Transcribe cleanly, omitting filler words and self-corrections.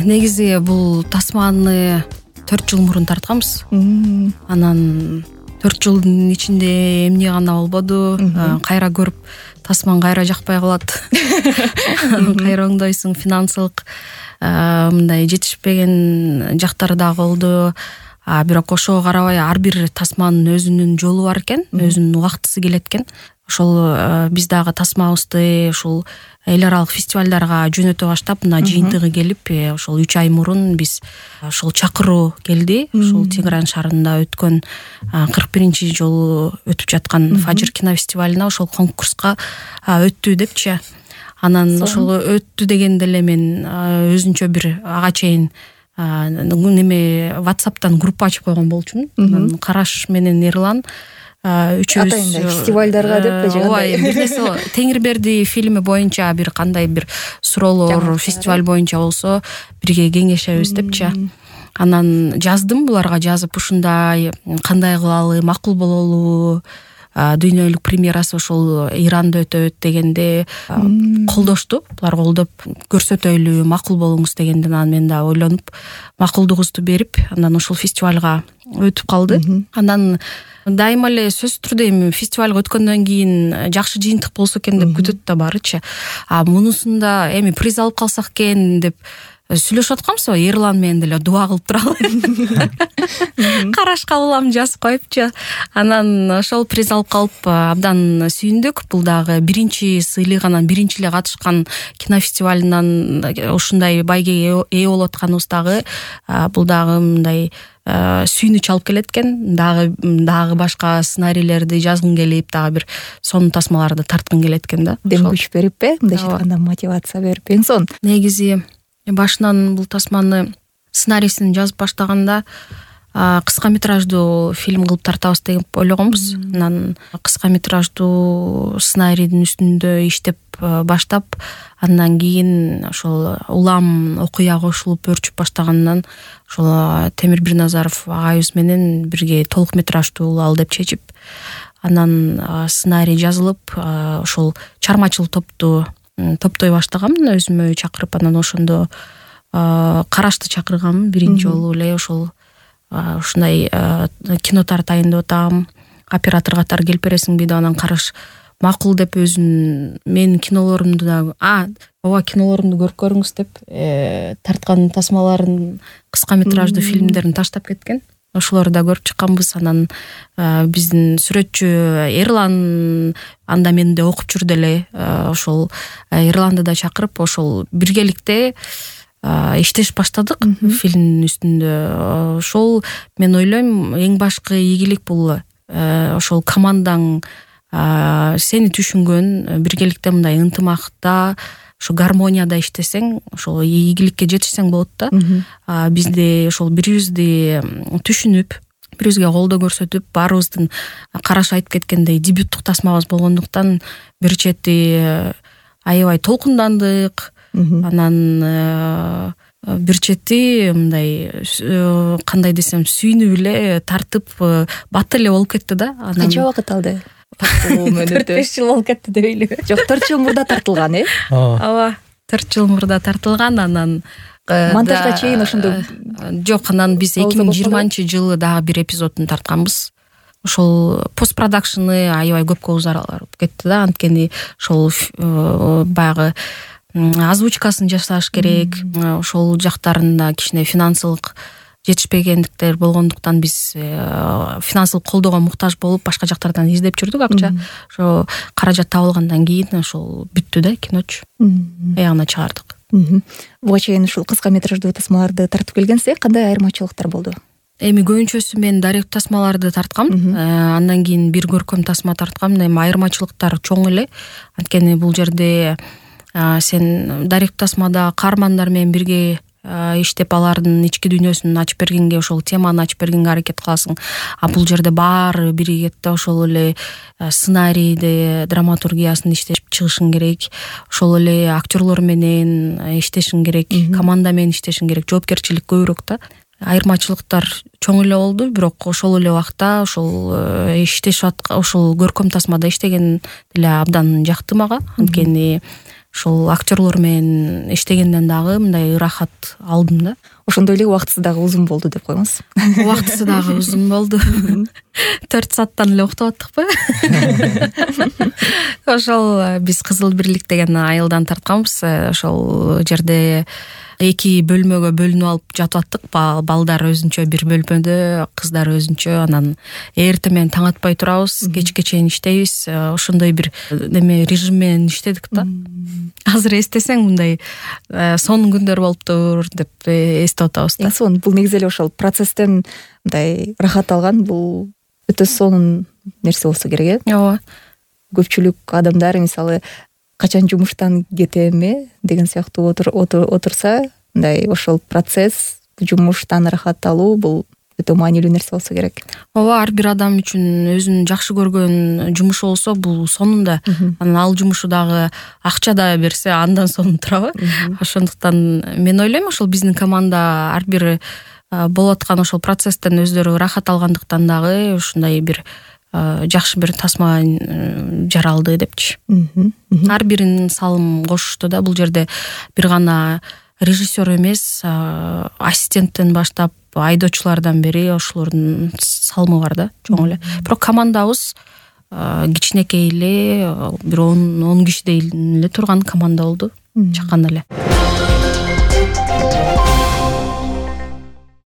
Негизи бул тасманы 4 жыл мурун тартканбыз. Анан 4 жылдын ичинде эмне гана болбоду, кайра көрүп тасман кайра жакпай калат. Кайра оңдойсуң, финансылык мындай жетишпеген жактары дагы болду. Бирок ошого карабай ар бир тасманын өзүнүн жолу бар экен, өзүнүн убактысы келет экен. Ошол биз дагы тасмабызды ушул эл аралык фестивалдарга жөнөтө баштап, мына жыйынтыгы келип, ошол 3 ай мурун биз ошол чакыруу келди. Ошол Тегеран шаарында өткөн 41-чи жолу өтүп жаткан Фажир кинофестивалына ошол конкурска өттү депчи. Анан ошол өттү дегенде эле мен өзүнчө бир ага чейин неме WhatsApp'тан группа ачып койгон болчумун. Анан Караш менен Эрлан үчөөбүз фестивалдарга деп же кандай? Бир нерсе Теңирберди фильми боюнча бир кандай бир суроолор фестиваль боюнча болсо бирге кеңешебиз депчи. Анан жаздым буларга, жазып ушундай кандай кылалы, макул бололу, дүйнөлүк премьерасы ошол Иранда өтөт дегенде колдошту. Булар колдоп көрсөтөйлү, макул болуңуз дегенде мен да ойлонуп макулдугубузду берип, анан ошол фестивалга өтүп калды. Анан дайыма эле сөзсүз түрдө эми фестивалга өткөндөн кийин жакшы жыйынтык болсо экен деп күтөт да барычы. Мунусунда эми приз алып калсак экен деп сүйлөшүп атканбыз. Эрлан менен деле дуа кылып туралы. Карашка улам жазып коюпчу. Анан ошол приз алып калып абдан сүйүндүк. Бул дагы биринчи сыйлык, анан биринчи эле катышкан кинофестивалынан ушундай байгеге ээ болуп атканыбыз дагы бул дагы мындай сүйүнүч алып келет экен. Дагы башка сценарийлерди жазгың келип, дагы бир сонун тасмаларды тарткың келет экен да. Дем күч берип, мындайча айтканда мотивация берип. Эң сонун. Негизи башынан бул тасманы сценарийсин жазып баштаганда кыска метраждуу фильм кылып тартабыз деп ойлогонбуз. Анан кыска метраждуу сценарийдин үстүндө иштеп баштап, андан кийин ошол улам окуя кошулуп өрчүп баштагандан ошол Темир Бирназаров агайыбыз менен бирге толук метраждуу кылалы деп чечип, анан сценарий жазылып, ошол чармачыл топту топтой баштаганмын өзүмө чакырып. Анан ошондо Карашты чакырганмын биринчи жолу эле. Ошол ушундай кино тартайын деп атам, оператор катары келип бересиңби деп, анан Караш макул деп өзүнүн менин кинолорумду да ооба кинолорумду көрүп көрүңүз деп тарткан тасмаларын, кыска метраждуу фильмдерин таштап кеткен. Ошолорду да көрүп чыкканбыз. Анан биздин сүрөтчү Эрлан анда менде окуп жүрдү эле. Ошол Эрланды да чакырып, ошол биргеликте иштеш баштадык фильмдин үстүндө. Ошол мен ойлойм эң башкы ийгилик бул ошол командаң сени түшүнгөн, биргеликте мындай ынтымакта, ошо гармонияда иштесең, ошол ийгиликке жетишсең болот да. Бизде ошол бирибизди түшүнүп, бирибизге колдоо көрсөтүп, баарыбыздын Караш айтып кеткендей дебюттук тасмабыз болгондуктан бир чети аябай толкундандык. Анан бир чети мындай кандай десем сүйүнүп эле тартып бат эле болуп кетти да. Канча убакыт алды? 4-5 жыл болуп кетти дейли. Жок, 4 жыл мурда тартылган, Ооба, 4 жыл мурда тартылган. Анан монтажга чейин ошондо жок, анан биз 2020-жылы дагы бир эпизодун тартканбыз. Ошол постпродакшны аябай көпкө узарып кетти да. Анткени ошол баягы озвучкасын жасаш керек. Ошол жактарында кичине финансылык жетишпегендиктер болгондуктан биз финансылык колдоого муктаж болуп башка жактардан издеп жүрдүк акча. Ошо каражат табылгандан кийин ошол бүттү да киночу. Аягына чыгардык. Буга чейин ушул кыска метраждуу тасмаларды тартып келгенсиз, кандай айырмачылыктар болду? Эми көбүнчөсү мен дарек тасмаларды тарткам. Андан кийин бир көркөм тасма тарткам. Эми айырмачылыктар чоң эле. Анткени бул жерде сен дарек тасмада каармандар менен бирге иштеп алардын ички дүйнөсүн ачып бергенге, ошол теманы ачып бергенге аракет кыласың. Бул жерде баары биригет да. Ошол эле сценарийди, драматургиясын иштешип чыгышың керек. Ошол эле актерлор менен иштешиң керек, команда менен иштешиң керек. Жоопкерчилик көбүрөөк да. Айырмачылыктар чоң эле болду, бирок ошол эле убакта ошол иштешип аткан, ошол көркөм тасмада иштеген деле абдан жакты мага. Анткени ошол актерлор менен иштегенден дагы мындай ырахат алдым да. Ошондой эле убактысы дагы узун болду деп коеңуз. Убактысы дагы узун болду. 4 сааттан эле уктап аттыкпы. Ошол биз Кызыл Бирлик деген айылдан тартканбыз. Ошол жерде 2 бөлмөгө бөлүнүп алып жатып аттык. Балдар өзүнчө бир бөлмөдө, кыздар өзүнчө. Анан эртең менен таң атпай турабыз, кечке чейин иштейбиз. Ошондой бир неме режим менен иштедик да. Азыр эстесең мындай сонун күндөр болуптур деп эстеп атабыз да. Сонун. Бул негизи эле ошол процесстен мындай рахат алган, бул өтө сонун нерсе болсо керек, Ооба. Көпчүлүк адамдар мисалы качан жумуштан кетем деген сыяктуу отурса, мындай ошол процесс, жумуштан рахат алуу бул өтө маанилүү нерсе болсо керек. Ооба, ар бир адам үчүн өзүнүн жакшы көргөн жумушу болсо бул сонун да. Анан ал жумушу дагы акча да берсе андан сонун турабы? Ошондуктан мен ойлойм, ошол биздин команда ар бир болуп аткан ошол процесстен өздөрү рахат алгандыктан дагы ушундай бир жакшы бир тасма жаралды депчи. Ар биринин салым кошушту да. Бул жерде бир гана режиссер эмес, ассистенттен баштап айдоочулардан бери ошолордун салымы бар да, чоң эле. Бирок командабыз кичинекей эле, бир 10 кишидей эле турган команда болду, чакан эле.